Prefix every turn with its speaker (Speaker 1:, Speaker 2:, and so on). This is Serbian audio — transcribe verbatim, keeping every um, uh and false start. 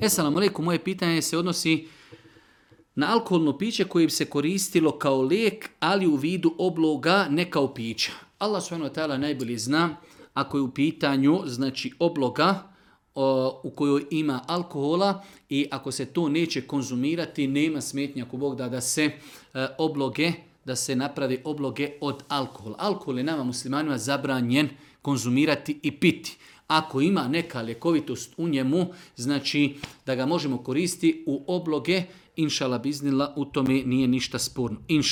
Speaker 1: Esalamu alejkum, moje pitanje se odnosi na alkoholno piće koje bi se koristilo kao lijek, ali u vidu obloga, ne kao pića. Allah subhanahu wa ta'ala najbolje zna ako je u pitanju znači obloga o, u kojoj ima alkohola i ako se to neće konzumirati, nema smetnja ako Bog da da se e, obloge, da se napravi obloge od alkohola. Alkohol je nama muslimanima zabranjen konzumirati i piti. Ako ima neka ljekovitost u njemu, znači da ga možemo koristiti u obloge, inšala biznila, u tome nije ništa sporno. Inša